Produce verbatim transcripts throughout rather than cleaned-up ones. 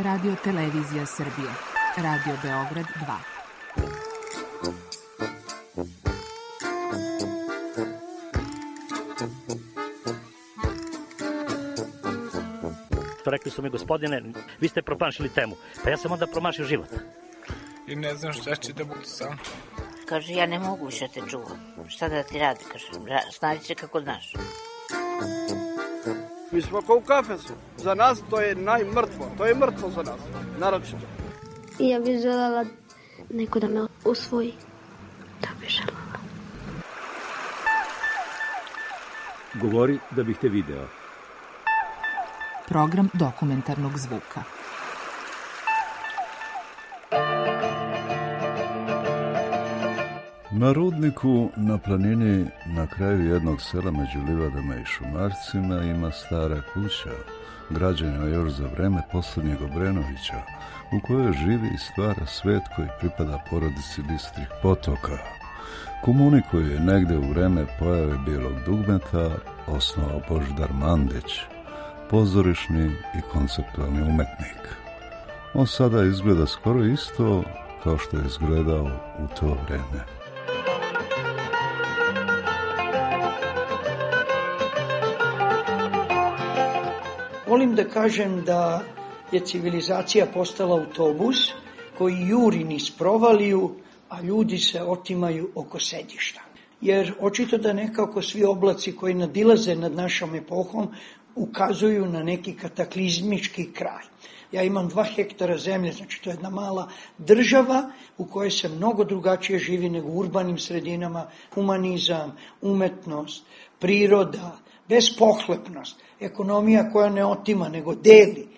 Radio Televizija Srbije. Radio Beograd dva. Rekli su mi, gospodine, vi ste promašili temu. Pa ja sam onda promašio život. I ne znam šta će da bude sam. Kaže, ja ne mogu više te čuvam. Šta da ti radi, kaže, snađi se kako znaš. Mi smo kao u kafesu. Za nas to je najmrtvo. To je mrtvo za nas. Naročito. I ja bih željela neko da me usvoji. Da bih željela. Govori da bih te video. Program dokumentarnog zvuka. Na rudniku na planini na kraju jednog sela među livadama i šumarcima ima stara kuća, građena još za vreme posljednjeg Obrenovića, u kojoj živi i stvara svet koji pripada porodici Bistrih potoka. Komuni koju je negde u vreme pojave Bijelog dugmeta osnovao Božidar Mandić, pozorišni i konceptualni umetnik. On sada izgleda skoro isto kao što je izgledao u to vreme. Volim da kažem da je civilizacija postala autobus koji juri niz provaliju, a ljudi se otimaju oko sedišta. Jer očito da nekako svi oblaci koji nadilaze nad našom epohom ukazuju na neki kataklizmički kraj. Ja imam dva hektara zemlje, znači to je jedna mala država u kojoj se mnogo drugačije živi nego u urbanim sredinama, humanizam, umetnost, priroda, bespohlepnost, ekonomija koja ne otima nego deli.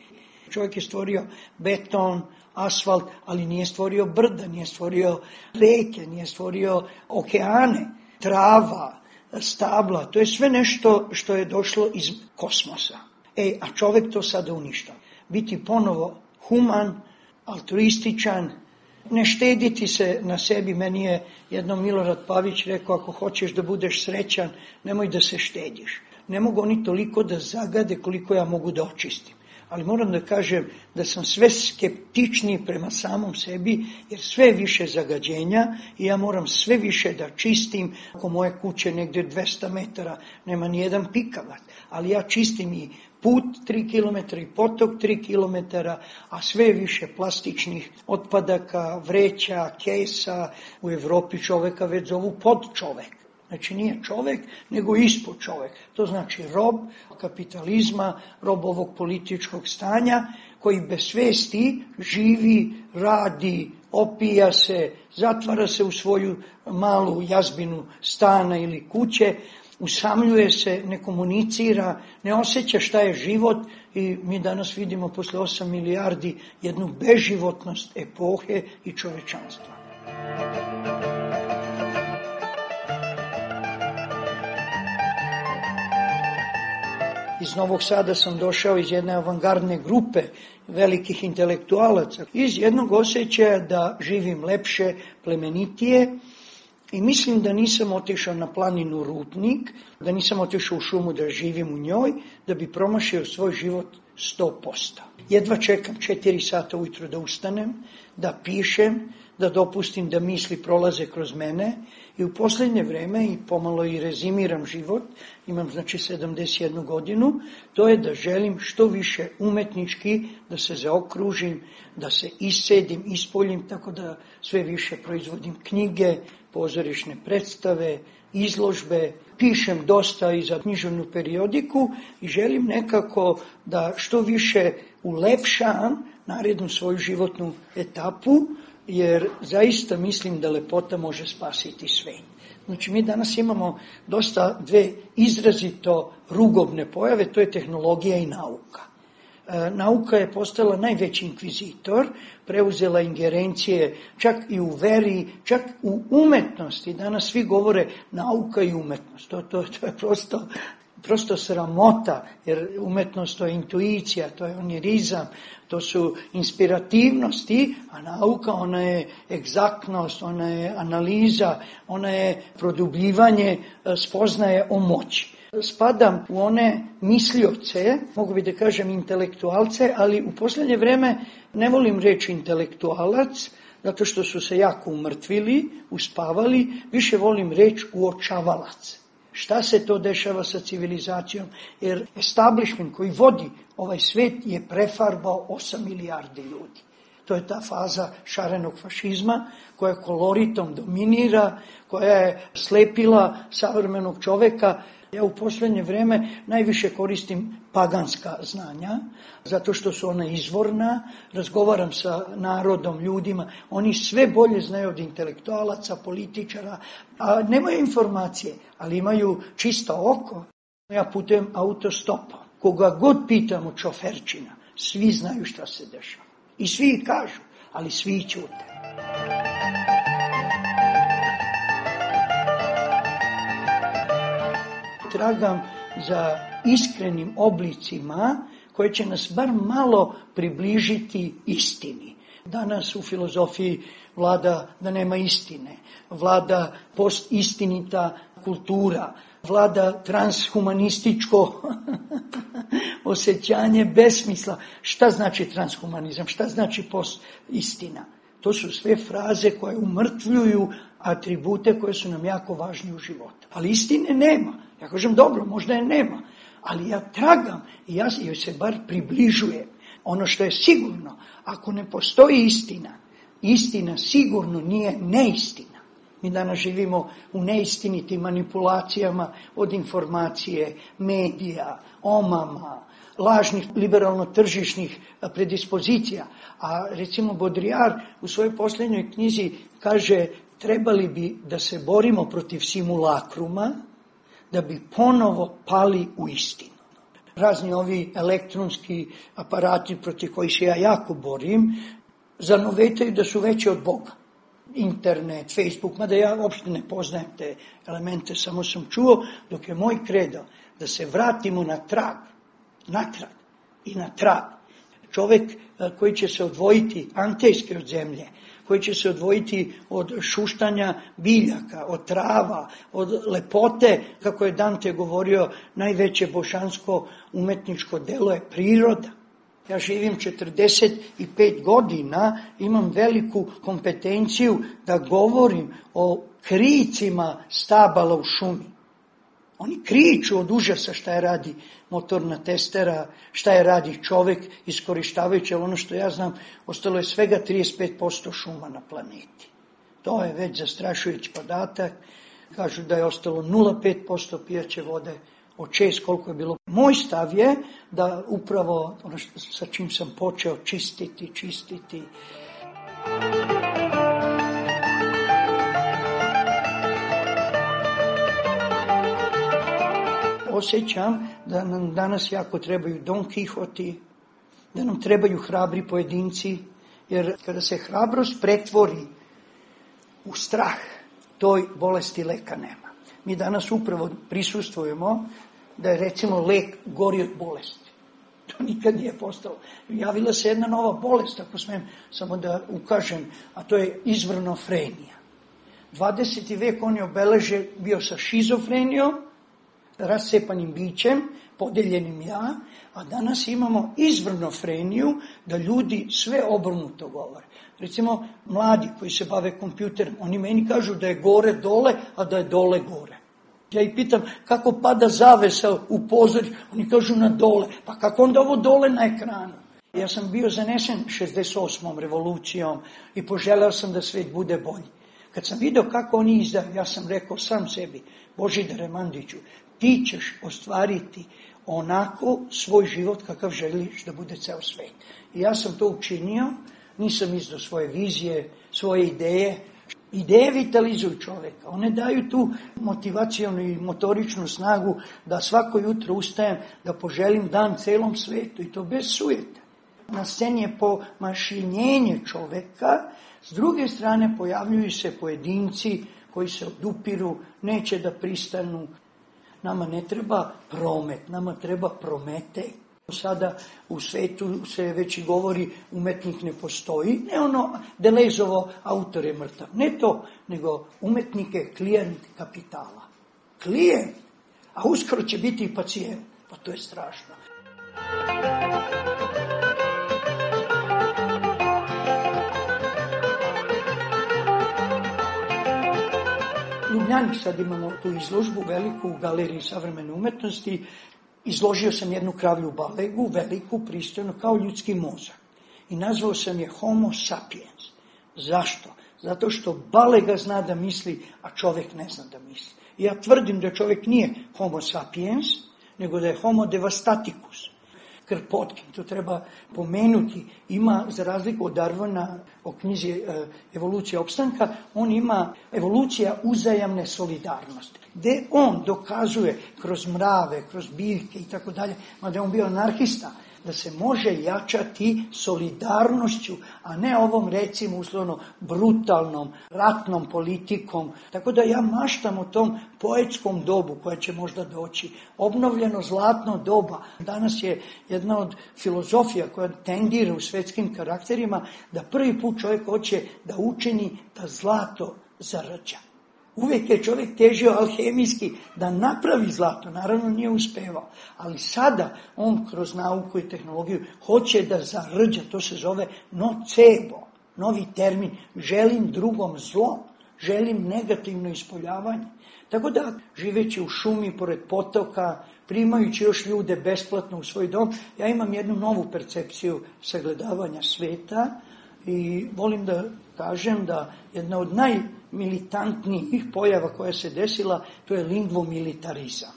Čovjek je stvorio beton, asfalt, ali nije stvorio brda, nije stvorio reke, nije stvorio okeane, trava, stabla. To je sve nešto što je došlo iz kosmosa. E, a čovjek to sada uništava. Biti ponovo human, altruističan, ne štediti se na sebi. Meni je jednom Milorad Pavić rekao, ako hoćeš da budeš srećan, nemoj da se štediš. Ne mogu oni toliko da zagade koliko ja mogu da očistim. Ali moram da kažem da sam sve skeptičniji prema samom sebi, jer sve više zagađenja i ja moram sve više da čistim. Oko moje kuće negdje dvesta metara nema ni jedan pikavac, ali ja čistim i put tri kilometra i potok tri kilometra, a sve više plastičnih otpadaka, vreća, kesa. U Evropi čoveka već zovu podčovek. Znači nije čovek, nego ispod čovek. To znači rob kapitalizma, rob ovog političkog stanja, koji bez svesti živi, radi, opija se, zatvara se u svoju malu jazbinu stana ili kuće, usamljuje se, ne komunicira, ne osjeća šta je život i mi danas vidimo posle osam milijardi jednu beživotnost epohe i čovečanstva. Iz Novog Sada sam došao iz jedne avangardne grupe velikih intelektualaca, iz jednog osjećaja da živim lepše, plemenitije i mislim da nisam otišao na planinu Rudnik, da nisam otišao u šumu da živim u njoj, da bi promašio svoj život sto posto. Jedva čekam četiri sata ujutro da ustanem, da pišem, da dopustim da misli prolaze kroz mene i u posljednje vreme i pomalo i rezimiram život, imam znači sedamdeset jednu godinu, to je da želim što više umetnički da se zaokružim, da se iscedim, ispoljim, tako da sve više proizvodim knjige, pozorišne predstave, izložbe, pišem dosta i za književnu periodiku i želim nekako da što više ulepšam narednu svoju životnu etapu, jer zaista mislim da lepota može spasiti sve. Znači mi danas imamo dosta dve izrazito rugobne pojave, to je tehnologija i nauka. E, nauka je postala najveći inkvizitor, preuzela ingerencije čak i u veri, čak u umetnosti. Danas svi govore nauka i umetnost. To, to, to je prosto... prosto sramota, jer umetnost to je intuicija, to je onirizam, to su inspirativnosti, a nauka ona je egzaktnost, ona je analiza, ona je produbljivanje spoznaje o moći. spadam u one mislioce, mogu bi da kažem intelektualce, ali u posljednje vreme ne volim reći intelektualac, zato što su se jako umrtvili, uspavali, više volim reći uočavalac. Šta se to dešava sa civilizacijom? Jer establishment koji vodi ovaj svet je prefarbao osam milijardi ljudi. To je ta faza šarenog fašizma koja koloritom dominira, koja je slepila savremenog čoveka. Ja u posljednje vrijeme najviše koristim paganska znanja, zato što su ona izvorna, razgovaram sa narodom, ljudima, oni sve bolje znaju od intelektualaca, političara, a nemaju informacije, ali imaju čisto oko. Ja putujem autostopom, koga god pitam od šoferčina, svi znaju šta se dešava. I svi kažu, ali svi ćute. Tragam za iskrenim oblicima koje će nas bar malo približiti istini. Danas u filozofiji vlada da nema istine, vlada postistinita kultura, vlada transhumanističko osjećanje besmisla. Šta znači transhumanizam? Šta znači postistina? To su sve fraze koje umrtvljuju atribute koje su nam jako važni u životu. Ali istine nema. Ja kažem, dobro, možda je nema, ali ja tragam i ja joj se bar približujem. Ono što je sigurno, ako ne postoji istina, istina sigurno nije neistina. Mi danas živimo u neistinitim manipulacijama od informacije, medija, omama, lažnih liberalno-tržišnih predispozicija. A recimo Baudrillard u svojoj posljednjoj knjizi kaže, trebali bi da se borimo protiv simulakruma, da bi ponovo pali u istinu. Razni ovi elektronski aparati protiv kojih se ja jako borim, zanovetaju da su veći od Boga. Internet, Facebook, mada ja uopšte ne poznajem te elemente, samo sam čuo, dok je moj kredo da se vratimo na trag, natrag i na trag. Čovjek koji će se odvojiti antejski od zemlje, koji će se odvojiti od šuštanja biljaka, od trava, od lepote, kako je Dante govorio, najveće božansko umetničko delo je priroda. Ja živim četrdeset pet godina, imam veliku kompetenciju da govorim o kricima stabala u šumi. Oni kriču od užasa šta je radi motorna testera, šta je radi čovjek iskorištavajući, ono što ja znam, ostalo je svega trideset pet posto šuma na planeti. To je već zastrašujući podatak. Kažu da je ostalo nula zarez pet posto pijaće vode od šest koliko je bilo. Moj stav je da upravo ono što, sa čim sam počeo čistiti, čistiti. Osjećam da nam danas jako trebaju Don Quixoti, da nam trebaju hrabri pojedinci, jer kada se hrabrost pretvori u strah, toj bolesti leka nema. Mi danas upravo prisustvujemo da je recimo lek gori od bolesti. To nikad nije postalo. Javila se jedna nova bolest, ako smijem samo da ukažem, a to je izvrnofrenija. dvadeseti vek on je obeležen bio sa šizofrenijom, rascepanim bićem, podeljenim ja, a danas imamo izvrnofreniju da ljudi sve obrnuto govore. Recimo, mladi koji se bave kompjuterom, oni meni kažu da je gore dole, a da je dole gore. Ja ih pitam kako pada zavesa u pozorju, oni kažu na dole, pa kako onda ovo dole na ekranu? Ja sam bio zanesen šezdeset osmom revolucijom i poželeo sam da svijet bude bolji. Kad sam vidio kako oni izdaju, ja sam rekao sam sebi, Božidare Mandiću, ti ćeš ostvariti onako svoj život kakav želiš da bude ceo svet. I ja sam to učinio, nisam izdao svoje vizije, svoje ideje. Ideje vitalizuju čovjeka, one daju tu motivacijonu i motoričnu snagu da svako jutro ustajem, da poželim dan celom svetu i to bez sujeta. Na sceni je pomašinjenje čovjeka, s druge strane pojavljuju se pojedinci koji se odupiru, neće da pristanu. Nama ne treba promet, nama treba Prometej. Sada u svetu se već i govori umetnik ne postoji, ne ono Delezovo autor je mrtav, ne to, nego umetnik je klijent kapitala. Klijent, A uskoro će biti i pacijent. Pa to je strašno. U Ljubljani sad imamo tu izložbu veliku u Galeriji savremene umetnosti. Izložio sam jednu kravlju balegu, veliku, pristojnu, kao ljudski mozak. I nazvao sam je Homo sapiens. Zašto? Zato što balega zna da misli, a čovjek ne zna da misli. I ja tvrdim da čovjek nije Homo sapiens, nego da je Homo devastaticus. Kropotkin, to treba pomenuti, ima, za razliku od Darwina o knjizi e, Evolucija opstanka, on ima evolucija uzajamne solidarnosti, gdje on dokazuje kroz mrave, kroz biljke i tako dalje, mada je on bio anarhista, da se može jačati solidarnošću, a ne ovom, recimo, uslovno brutalnom, ratnom politikom. Tako da ja maštam o tom poetskom dobu koja će možda doći. Obnovljeno zlatno doba. Danas je jedna od filozofija koja tendira u svjetskim karakterima da prvi put čovjek hoće da učini da zlato zarđa. Uvijek je čovjek težio alhemijski da napravi zlato, naravno nije uspevao, ali sada on kroz nauku i tehnologiju hoće da zarđa, to se zove nocebo, novi termin, želim drugom zlo, želim negativno ispoljavanje. Tako da, živeći u šumi, pored potoka, primajući još ljude besplatno u svoj dom, ja imam jednu novu percepciju sagledavanja sveta i volim da kažem da jedna od najmilitantnijih pojava koja se desila, to je lingvomilitarizam.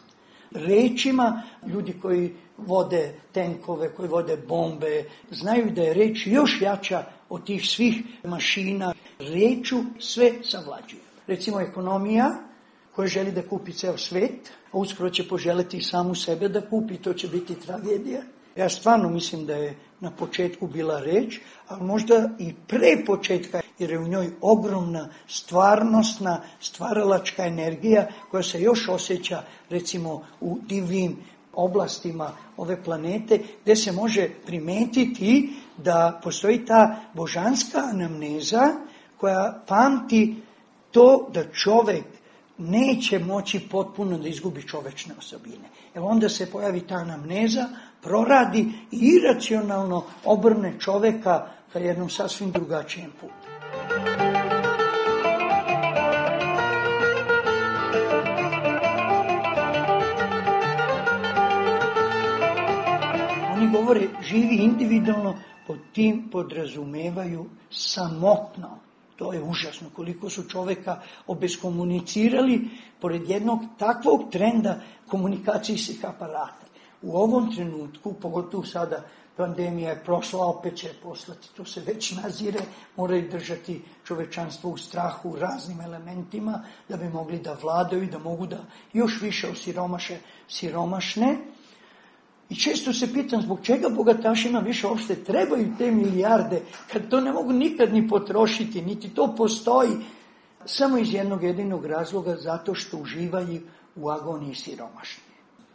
Rečima, ljudi koji vode tenkove, koji vode bombe, znaju da je reč još jača od tih svih mašina. Reču sve savlađuju. Recimo ekonomija koja želi da kupi ceo svet, a uskoro će poželiti samu sebe da kupi, to će biti tragedija. Ja stvarno mislim da je na početku bila reč, ali možda i pre početka, jer je u njoj ogromna stvarnostna, stvaralačka energija koja se još osjeća, recimo, u divljim oblastima ove planete, gdje se može primetiti da postoji ta božanska anamneza koja pamti to da čovjek neće moći potpuno da izgubi čovečne osobine. Jer onda se pojavi ta anamneza, proradi i iracionalno obrne čovjeka ka jednom sasvim drugačijem putu. Oni govore živi individualno, pod tim podrazumevaju samotno. To je užasno koliko su čovjeka obeskomunicirali pored jednog takvog trenda komunikacijskih aparata. U ovom trenutku, pogotovo sada pandemija je prošla, opet će poslati, to se već nazire, moraju držati čovečanstvo u strahu raznim elementima da bi mogli da vladaju i da mogu da još više osiromaše siromašne. I često se pitam zbog čega bogatašima više uopšte trebaju te milijarde kad to ne mogu nikad ni potrošiti, niti to postoji. Samo iz jednog jedinog razloga, zato što uživaju u agoniji siromašni.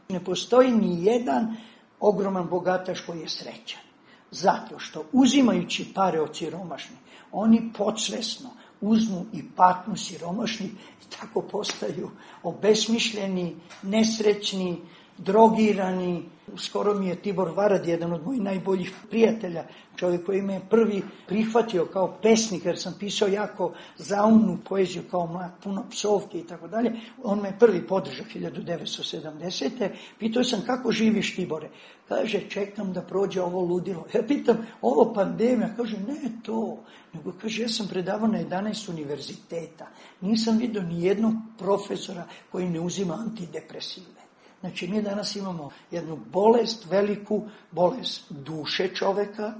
Ne postoji ni jedan ogroman bogataš koji je srećan. Zato što uzimajući pare od siromašnih, oni podsvesno uzmu i patnju siromašnih i tako postaju obesmišljeni, nesrećni, drogirani. Skoro mi je Tibor Varad, jedan od mojih najboljih prijatelja, čovjek koji me je prvi prihvatio kao pesnik, jer sam pisao jako zaumnu poeziju kao mlad, puno psovke i tako dalje. On me prvi podržao hiljadu devetsto sedamdesete. Pitao sam kako živiš, Tibore? Kaže, čekam da prođe ovo ludilo. Ja pitam, ovo pandemija? Kaže, ne to. Nego kaže, ja sam predavao na jedanaest univerziteta. Nisam vidio ni jednog profesora koji ne uzima antidepresive. Znači, mi danas imamo jednu bolest, veliku bolest duše čoveka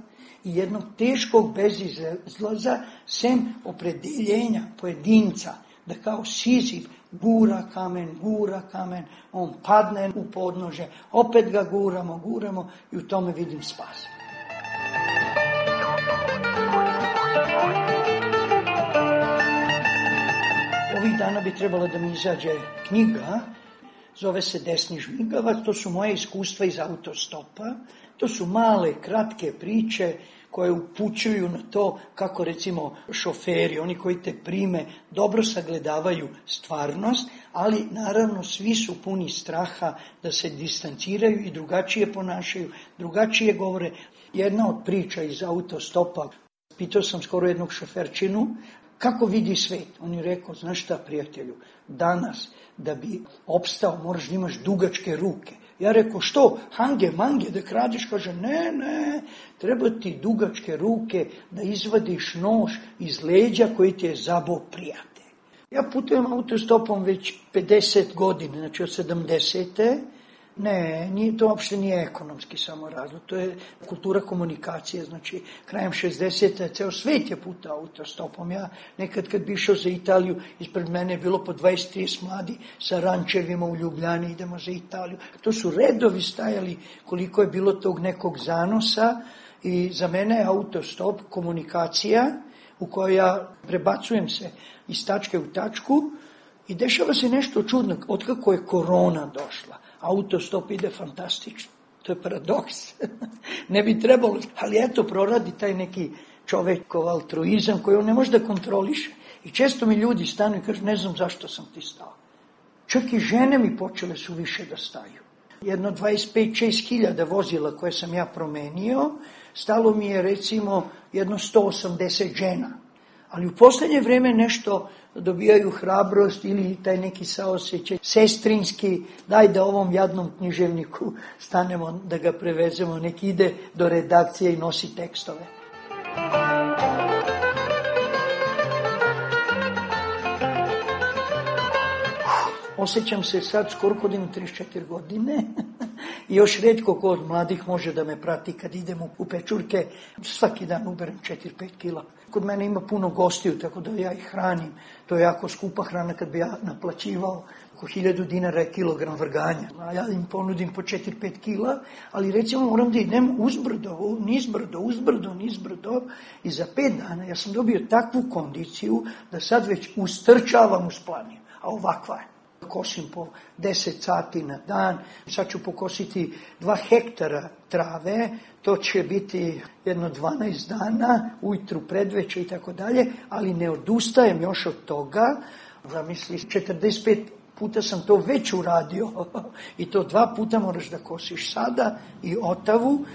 i jednog teškog bezizlaza, sem opredeljenja pojedinca, da kao Sizif gura kamen, gura kamen, on padne u podnože, opet ga guramo, guramo i u tome vidim spas. Ovih dana bi trebala da mi izađe knjiga zove se desni žmigavac, to su moje iskustva iz autostopa, to su male, kratke priče koje upućuju na to kako recimo šoferi, oni koji te prime, dobro sagledavaju stvarnost, ali naravno svi su puni straha da se distanciraju i drugačije ponašaju, drugačije govore. Jedna od priča iz autostopa, pitao sam skoro jednog šoferčinu, kako vidi svet? On je rekao, znaš šta prijatelju, danas da bi opstao moraš da imaš dugačke ruke. Ja rekao, što? Hange, mange, da kradiš? Kaže, ne, ne, treba ti dugačke ruke da izvadiš nož iz leđa koji ti je zabao prijatelj. Ja putujem autostopom već pedeset godina, znači od sedamdesete. Ne, nije, to uopšte nije ekonomski samo razlog, to je kultura komunikacije, znači krajem šezdesete ceo svet je putao autostopom. Ja nekad kad bi išao za Italiju, ispred mene je bilo po dvadeset trideset mladi sa rančevima u Ljubljani, idemo za Italiju. To su redovi stajali koliko je bilo tog nekog zanosa i za mene je autostop komunikacija u kojoj ja prebacujem se iz tačke u tačku i dešava se nešto čudno, otkako je korona došla. Autostop ide fantastično. To je paradoks. Ne bi trebalo, ali eto proradi taj neki čovekov altruizam koji on ne može da kontroliše. I često mi ljudi stanu i kažu, ne znam zašto sam ti stao. Čak i žene mi počele su više da staju. Jedno dvadeset pet do šezdeset hiljada vozila koje sam ja promenio, stalo mi je recimo jedno sto osamdeset žena. Ali u poslednje vreme nešto dobijaju hrabrost ili taj neki saosećaj sestrinski, daj da ovom jadnom književniku stanemo da ga prevezemo, nek ide do redakcije i nosi tekstove. Osjećam se sad skoro kod imam trideset četiri godine i još retko ko od mladih može da me prati kad idem u pečurke. Svaki dan uberem četiri pet kila. Kod mene ima puno gostiju, tako da ja ih hranim. To je jako skupa hrana kad bi ja naplaćivao. Oko hiljadu dinara je kilogram vrganja. A ja im ponudim po četiri pet kila, ali recimo moram da idem uzbrdo, nizbrdo, uzbrdo, nizbrdo. I za pet dana ja sam dobio takvu kondiciju da sad već ustrčavam uz planinu. A ovakva je. Kosim po deset sati na dan, sad ću pokositi dva hektara trave, to će biti jedno dvanaest dana, ujutru, predveče i tako dalje, ali ne odustajem još od toga. Zamisli, četrdeset pet puta sam to već uradio i to dva puta moraš da kosiš sada i otavu.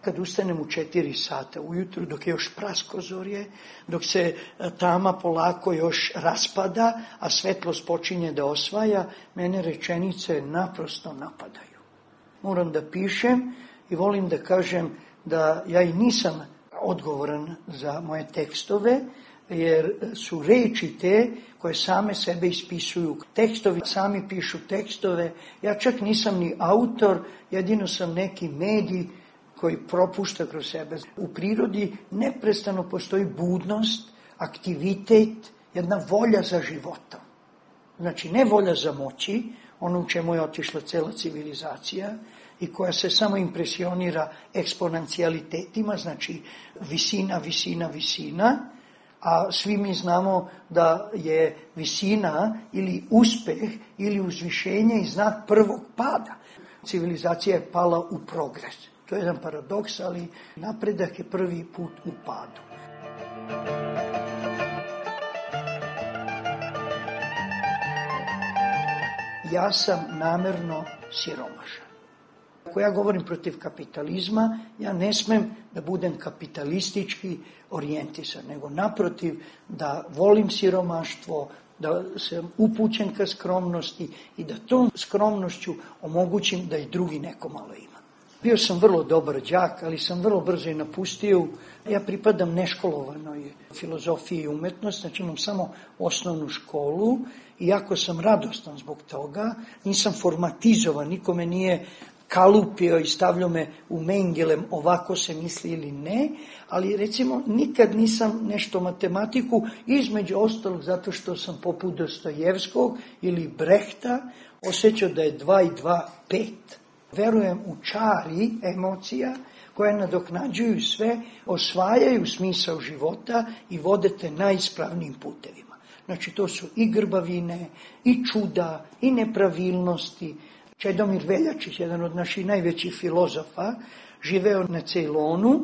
Kad ustanem u četiri sata ujutru, dok je još praskozorje, dok se tama polako još raspada, a svetlost počinje da osvaja, mene rečenice naprosto napadaju. Moram da pišem i volim da kažem da ja i nisam odgovoran za moje tekstove, jer su reči te koje same sebe ispisuju. Tekstovi sami pišu tekstove, ja čak nisam ni autor, jedino sam neki medij koji propušta kroz sebe. U prirodi neprestano postoji budnost, aktivitet, jedna volja za životom. Znači, ne volja za moći, ono u čemu je otišla cela civilizacija i koja se samo impresionira eksponencijalitetima, znači visina, visina, visina, a svi mi znamo da je visina ili uspeh ili uzvišenje i znak prvog pada. Civilizacija je pala u progres. To je jedan paradoks, ali napredak je prvi put u padu. Ja sam namerno siromašan. Ako ja govorim protiv kapitalizma, ja ne smem da budem kapitalistički orijentisan, nego naprotiv da volim siromaštvo, da sam upućen ka skromnosti i da tom skromnošću omogućim da i drugi neko malo ima. Bio sam vrlo dobar đak, ali sam vrlo brzo i napustio. Ja pripadam neškolovanoj filozofiji i umetnosti, znači imam samo osnovnu školu, iako sam radostan zbog toga, nisam formatizovan, nikome nije kalupio i stavljao me u mengelem ovako se misli ili ne, ali recimo nikad nisam nešto matematiku, između ostalog zato što sam poput Dostojevskog ili Brehta osjećao da je dva i dva pet. Verujem u čari emocija koje nadoknađuju sve, osvajaju smisao života i vode te najispravnijim putevima. Znači to su i grbavine, i čuda, i nepravilnosti, Čedomir Veljačić, jedan od naših najvećih filozofa, živeo na Ceylonu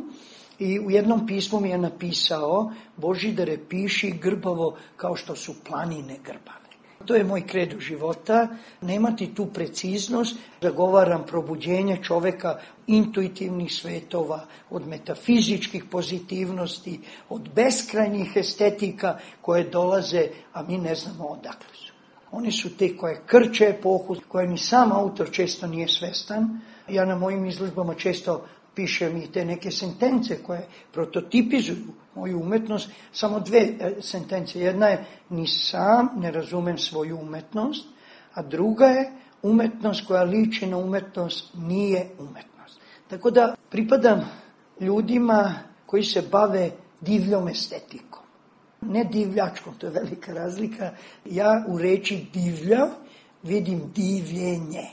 i u jednom pismu mi je napisao: Božidare, piši grbavo kao što su planine grbave. To je moj kredo života, nemati tu preciznost, zagovaram probuđenje čoveka intuitivnih svetova, od metafizičkih pozitivnosti, od beskrajnih estetika koje dolaze, a mi ne znamo odakle su. Oni su te koje krče epohu, koje ni sam autor često nije svestan. Ja na mojim izložbama često pišem i te neke sentence koje prototipizuju moju umetnost. Samo dve sentence. Jedna je: ni sam ne razumem svoju umetnost, a druga je: umetnost koja liči na umetnost nije umetnost. Tako da pripadam ljudima koji se bave divljom estetikom. Ne divljačkom, to je velika razlika. Ja u reči divlja vidim divljenje.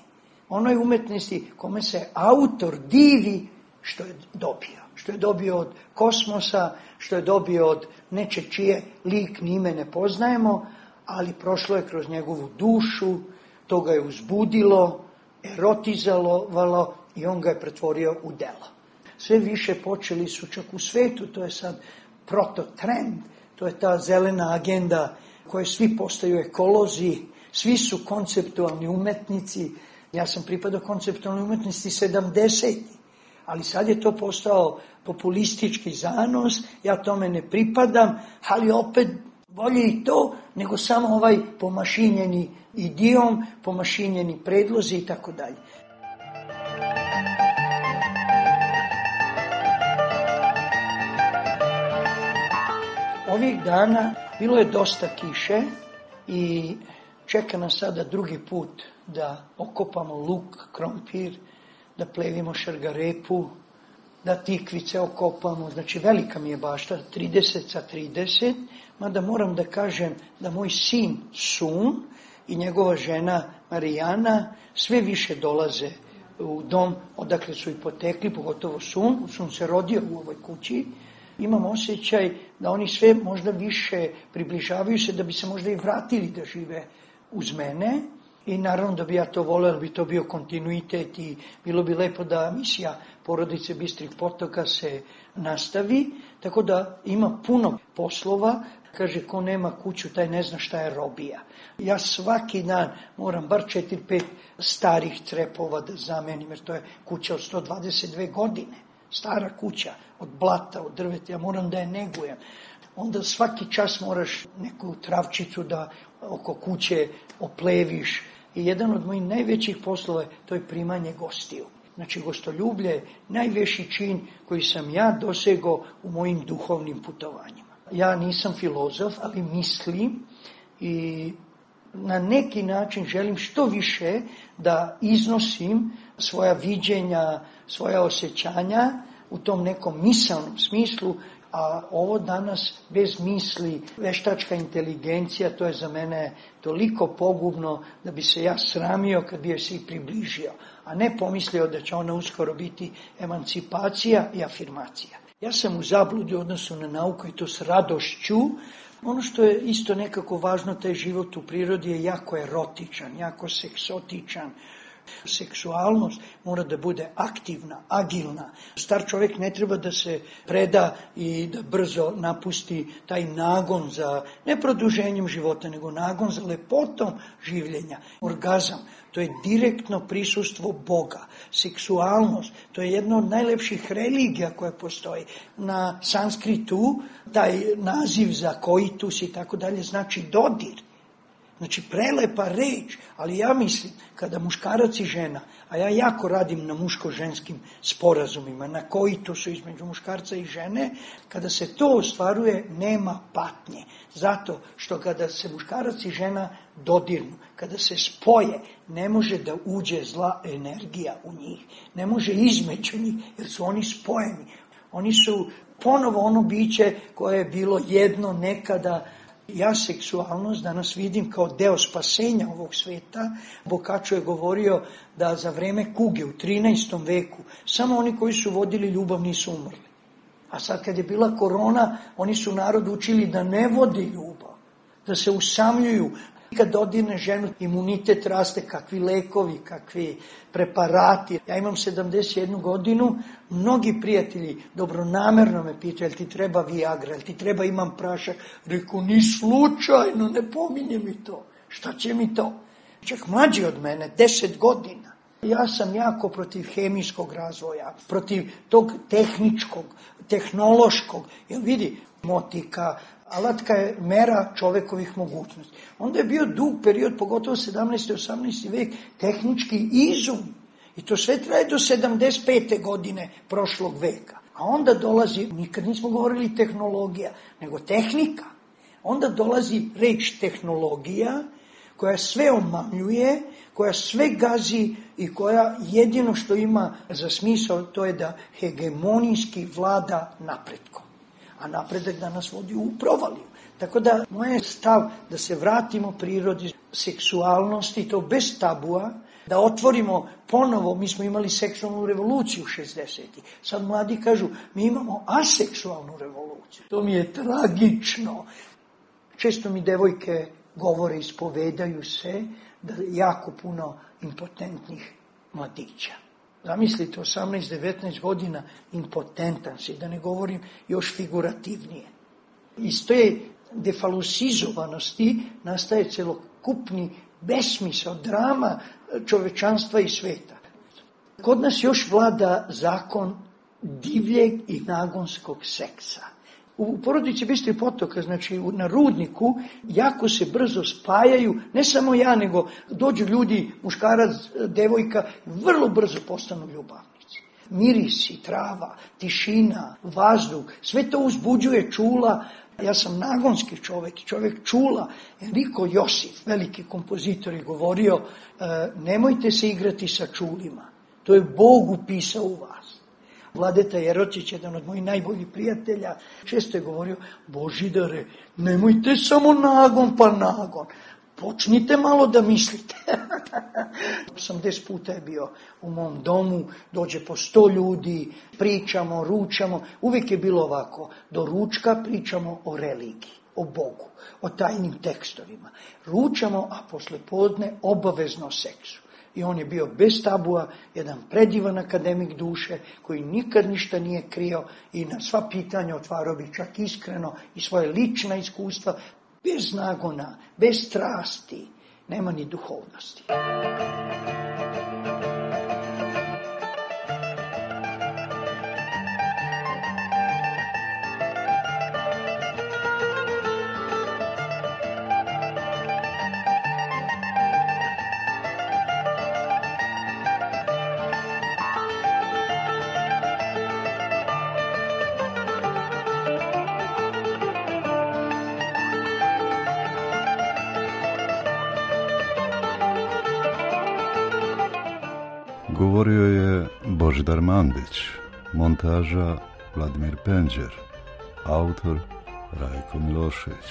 Onoj umetnosti kome se autor divi što je dobio. Što je dobio od kosmosa, što je dobio od neče čije lik ni ime ne poznajemo, ali prošlo je kroz njegovu dušu, to ga je uzbudilo, erotizovalo i on ga je pretvorio u delo. Sve više počeli su čak u svetu, to je sad prototrend, to je ta zelena agenda koje svi postaju ekolozi, svi su konceptualni umetnici. Ja sam pripadao konceptualnoj umetnosti sedamdesetih, ali sad je to postao populistički zanos, ja tome ne pripadam, ali opet bolje i to nego samo ovaj pomašinjeni idiom, pomašinjeni predlozi i tako dalje. Ovih dana bilo je dosta kiše i čeka nas sada drugi put da okopamo luk, krompir, da plevimo šargarepu, da tikvice okopamo. Znači velika mi je bašta, trideset sa trideset, mada moram da kažem da moj sin Sun i njegova žena Marijana sve više dolaze u dom odakle su i potekli, pogotovo Sun. Sun se rodio u ovoj kući. Imam osjećaj da oni sve možda više približavaju se, da bi se možda i vratili da žive uz mene. I naravno da bi ja to voleo, da bi to bio kontinuitet i bilo bi lepo da misija Porodice Bistrih potoka se nastavi. Tako da ima puno poslova. Kaže, ko nema kuću, taj ne zna šta je robija. Ja svaki dan moram bar četiri pet starih crepova da zamenim, jer to je kuća od sto dvadeset dve godine. Stara kuća, od blata, od drveta, ja moram da je negujem. Onda svaki čas moraš neku travčicu da oko kuće opleviš. I jedan od mojih najvećih poslova je to je primanje gostiju. Znači, gostoljublje je najveći čin koji sam ja dosegao u mojim duhovnim putovanjima. Ja nisam filozof, ali mislim i na neki način želim što više da iznosim svoja viđenja, svoja osjećanja u tom nekom misalnom smislu, a ovo danas bez misli, veštačka inteligencija, to je za mene toliko pogubno da bi se ja sramio kad bi joj se i približio, a ne pomislio da će ona uskoro biti emancipacija i afirmacija. Ja sam u zabludi u odnosu na nauku i to s radošću. Ono što je isto nekako važno, taj život u prirodi je jako erotičan, jako seksotičan. Seksualnost mora da bude aktivna, agilna. Star čovjek ne treba da se preda i da brzo napusti taj nagon za, ne produženjem života, nego nagon za lepotom življenja. Orgazam, to je direktno prisustvo Boga. Seksualnost, to je jedna od najlepših religija koja postoji. Na sanskritu taj naziv za koitus i tako dalje znači dodir. Znači, prelepa reč, ali ja mislim, kada muškarac i žena, a ja jako radim na muško-ženskim sporazumima, na koitusu između muškarca i žene, kada se to ostvaruje, nema patnje. Zato što kada se muškarac i žena dodirnu, kada se spoje, ne može da uđe zla energija u njih, ne može između njih, jer su oni spojeni. Oni su ponovo ono biće koje je bilo jedno nekada. Ja seksualnost danas vidim kao deo spasenja ovog sveta. Boccaccio je govorio da za vreme kuge u trinaestom veku samo oni koji su vodili ljubav nisu umrli. A sad kad je bila korona, oni su narod učili da ne vodi ljubav, da se usamljuju. Kad dodirne ženu, imunitet raste, kakvi lekovi, kakvi preparati. Ja imam sedamdeset jednu godinu, mnogi prijatelji dobronamerno me pitaju, jel ti treba Viagra, jel ti treba imam prašak? Reku, ni slučajno, ne pominje mi to. Šta će mi to? Čak mlađi od mene, deset godina. Ja sam jako protiv hemijskog razvoja, protiv tog tehničkog, tehnološkog. Jel vidi, motika, alatka je mera čovekovih mogućnosti. Onda je bio dug period, pogotovo sedamnaesti i osamnaesti vek, tehnički izum. I to sve traje do sedamdeset pete godine prošlog veka. A onda dolazi, nikad nismo govorili tehnologija, nego tehnika. Onda dolazi reč tehnologija, koja sve omamljuje, koja sve gazi i koja jedino što ima za smisao to je da hegemonijski vlada napretkom. A napredak da nas vodi u provaliju. Tako da moj je stav da se vratimo prirodi seksualnosti, to bez tabua, da otvorimo ponovo, mi smo imali seksualnu revoluciju u šezdesetih. Sad mladi kažu, mi imamo aseksualnu revoluciju. To mi je tragično. Često mi devojke govore, ispovedaju se da je jako puno impotentnih mladića. Zamislite, osamnaest devetnaest godina impotentan si, da ne govorim još figurativnije. Iz te defalusizovanosti nastaje celokupni besmisao, drama čovečanstva i sveta. Kod nas još vlada zakon divljeg i nagonskog seksa. U porodici Bistri potoka, znači na rudniku, jako se brzo spajaju, ne samo ja, nego dođu ljudi, muškarac, devojka, vrlo brzo postanu ljubavnici. Mirisi, trava, tišina, vazduh, sve to uzbuđuje čula. Ja sam nagonski čovjek, čovjek čula. Enrico Josif, veliki kompozitor, je govorio, nemojte se igrati sa čulima, to je Bog upisao u vas. Vladeta Jeročić, jedan od mojih najboljih prijatelja, često je govorio, Božidare, nemojte samo nagon pa nagon, počnite malo da mislite. osamdeset puta je bio u mom domu, dođe po sto ljudi, pričamo, ručamo, uvijek je bilo ovako, do ručka pričamo o religiji, o Bogu, o tajnim tekstovima. Ručamo, a posle podne obavezno o seksu. I on je bio bez tabua, jedan predivan akademik duše, koji nikad ništa nije krio i na sva pitanja otvarao bi čak iskreno i svoje lična iskustva, bez nagona, bez strasti, nema ni duhovnosti. Govorio je Božidar Mandić, montaža Vladimir Penđer, autor Rajko Milošević.